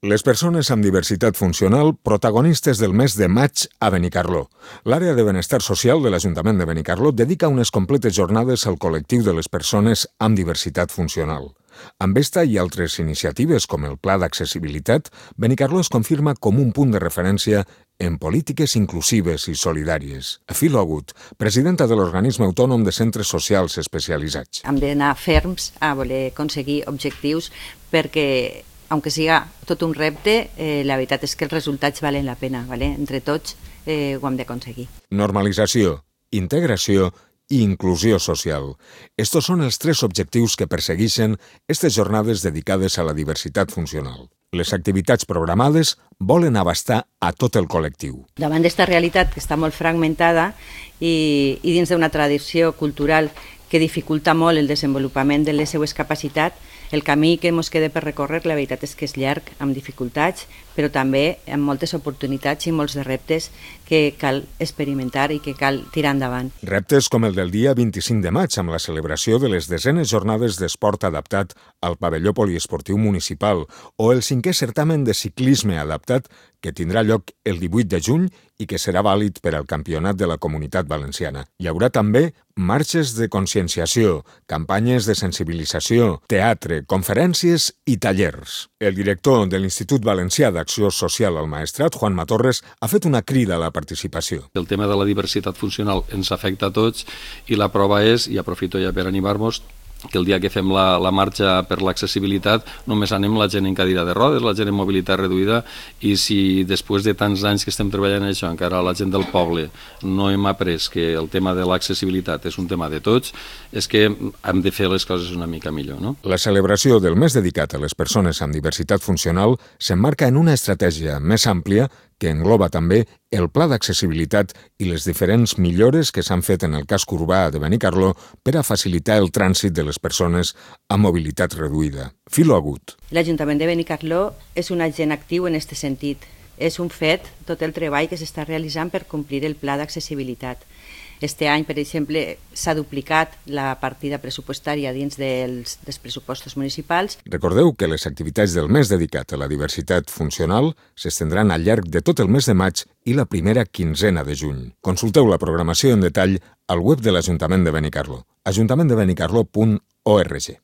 Les persones amb diversitat funcional, protagonistes del mes de maig a Benicarló. L'àrea de benestar social de l'Ajuntament de Benicarló dedica unes completes jornades al col·lectiu de les persones amb diversitat funcional. Amb esta i altres iniciatives, com el Pla d'Accessibilitat, Benicarló es confirma com un punt de referència en polítiques inclusives i solidàries. Filo Agut, presidenta de l'Organisme Autònom de Centres Socials Especialitzats. Hem d'anar ferms a voler aconseguir objectius perquè, aunque siga tot un repte, la veritat és que els resultats valen la pena. Entre tots ho hem d'aconseguir. Normalització, integració i inclusió social. Estos són els tres objectius que persegueixen aquestes jornades dedicades a la diversitat funcional. Les activitats programades volen abastar a tot el col·lectiu. Davant d'esta realitat que està molt fragmentada i dins d'una tradició cultural que dificulta molt el desenvolupament de les seues capacitats, el camí que ens queda per recórrer, la veritat és que és llarg, amb dificultats, però també amb moltes oportunitats i molts de reptes que cal experimentar i que cal tirar endavant. Reptes com el del dia 25 de maig, amb la celebració de les desenes jornades d'esport adaptat al pavelló poliesportiu municipal, o el 5è certamen de ciclisme adaptat, que tindrà lloc el 18 de juny i que serà vàlid per al Campionat de la Comunitat Valenciana. Hi haurà també marxes de conscienciació, campanyes de sensibilització, teatre, conferències i tallers. El director de l'Institut Valencià d'Acció Social al Maestrat, Juan Matorres, ha fet una crida a la participació. El tema de la diversitat funcional ens afecta a tots i la prova és, i aprofito ja per animar-vos, que el dia que fem la marxa per l'accessibilitat només anem la gent en cadira de rodes, la gent en mobilitat reduïda, i si després de tants anys que estem treballant en això encara la gent del poble no hem après que el tema de l'accessibilitat és un tema de tots, és que hem de fer les coses una mica millor, no? La celebració del mes dedicat a les persones amb diversitat funcional s'emmarca en una estratègia més àmplia que engloba també el pla d'accessibilitat i les diferents millores que s'han fet en el casc urbà de Benicarló per a facilitar el trànsit de les persones amb mobilitat reduïda. Filo Agut. L'Ajuntament de Benicarló és un agent actiu en aquest sentit. És un fet tot el treball que s'està realitzant per complir el pla d'accessibilitat. Este any, per exemple, s'ha duplicat la partida pressupostària dins dels pressupostos municipals. Recordeu que les activitats del mes dedicat a la diversitat funcional s'estendran al llarg de tot el mes de maig i la primera quinzena de juny. Consulteu la programació en detall al web de l'Ajuntament de Benicarló, ajuntamenttdebenicarlo.org.